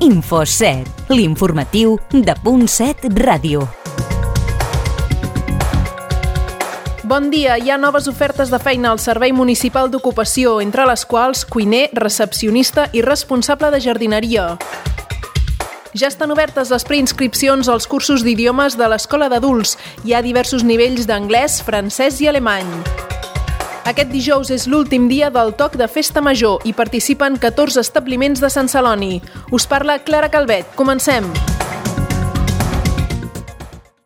Info7, l'informatiu de .7 Ràdio. Bon dia, hi ha noves ofertes de feina al Servei Municipal d'Ocupació, entre les quals cuiner, recepcionista i responsable de jardineria. Ja estan obertes les preinscripcions als cursos d'idiomes de l'Escola d'Adults. Hi ha diversos nivells d'anglès, francès i alemany. Aquest dijous és l'últim dia del toc de Festa Major i participen 14 establiments de Sant Celoni. Us parla Clara Calvet. Comencem!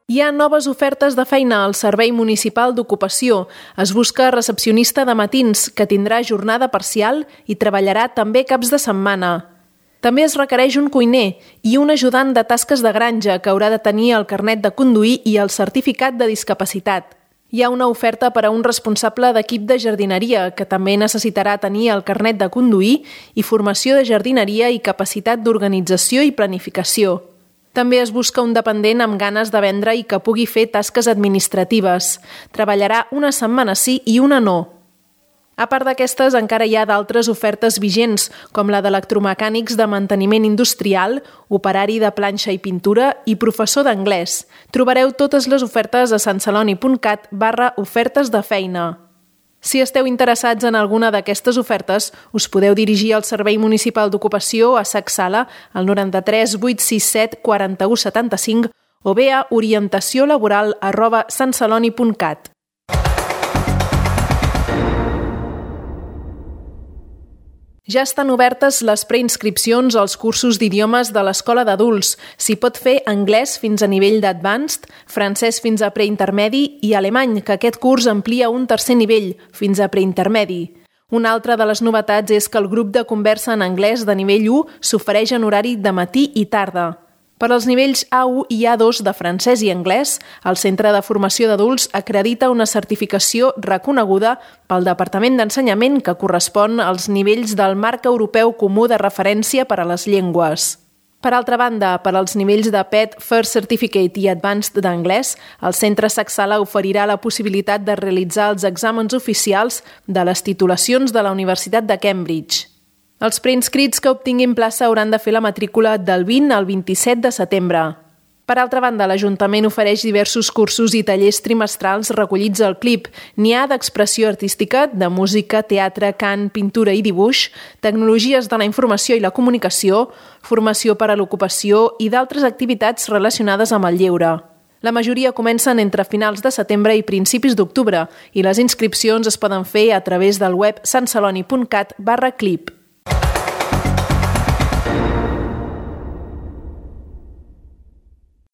Hi ha noves ofertes de feina al Servei Municipal d'Ocupació. Es busca recepcionista de matins, que tindrà jornada parcial i treballarà també caps de setmana. També es requereix un cuiner i un ajudant de tasques de granja que haurà de tenir el carnet de conduir i el certificat de discapacitat. Hi ha una oferta per a un responsable d'equip de jardineria, que també necessitarà tenir el carnet de conduir i formació de jardineria i capacitat d'organització i planificació. També es busca un dependent amb ganes de vendre i que pugui fer tasques administratives. Treballarà una setmana sí i una no. A part d'aquestes, encara hi ha d'altres ofertes vigents, com la d'electromecànics de manteniment industrial, operari de planxa i pintura i professor d'anglès. Trobareu totes les ofertes a santceloni.cat/ofertes de feina. Si esteu interessats en alguna d'aquestes ofertes, us podeu dirigir al Servei Municipal d'Ocupació a Sac Sala al 93 867 41 75 o bé a orientaciolaboral@santceloni.cat. Ja estan obertes les preinscripcions als cursos d'idiomes de l'Escola d'Adults. S'hi pot fer anglès fins a nivell d'advanced, francès fins a preintermedi i alemany, que aquest curs amplia un tercer nivell, fins a preintermedi. Una altra de les novetats és que el grup de conversa en anglès de nivell 1 s'ofereix en horari de matí i tarda. Per als nivells A1 i A2 de francès i anglès, el Centre de Formació d'Adults acredita una certificació reconeguda pel Departament d'Ensenyament que correspon als nivells del Marc Europeu Comú de Referència per a les Llengües. Per altra banda, per als nivells de PET, First Certificate i Advanced d'anglès, el Centre Sac Sala oferirà la possibilitat de realitzar els exàmens oficials de les titulacions de la Universitat de Cambridge. Els preinscrits que obtinguin plaça hauran de fer la matrícula del 20 al 27 de setembre. Per altra banda, l'Ajuntament ofereix diversos cursos i tallers trimestrals recollits al CLIP. N'hi ha d'expressió artística, de música, teatre, cant, pintura i dibuix, tecnologies de la informació i la comunicació, formació per a l'ocupació i d'altres activitats relacionades amb el lleure. La majoria comencen entre finals de setembre i principis d'octubre i les inscripcions es poden fer a través del web santceloni.cat/clip.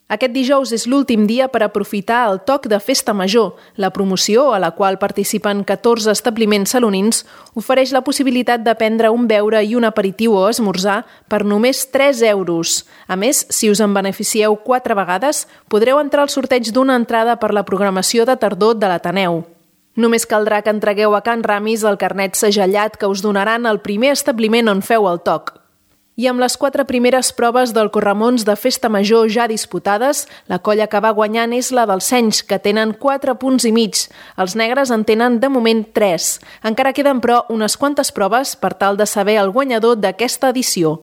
Aquest dijous és l'últim dia per aprofitar el toc de Festa Major. La promoció, a la qual participen 14 establiments salonins, ofereix la possibilitat de prendre un beure i un aperitiu o esmorzar per només 3 euros. A més, si us en beneficieu 4 vegades, podreu entrar al sorteig d'una entrada per la programació de tardor de l'Ateneu. Només caldrà que entregueu a Can Ramis el carnet segellat que us donaran al primer establiment on feu el toc. I amb les 4 primeres proves del corremons de Festa Major ja disputades, la colla que va guanyant és la dels Senys, que tenen 4 punts i mig. Els negres en tenen de moment 3. Encara queden, però, unes quantes proves per tal de saber el guanyador d'aquesta edició.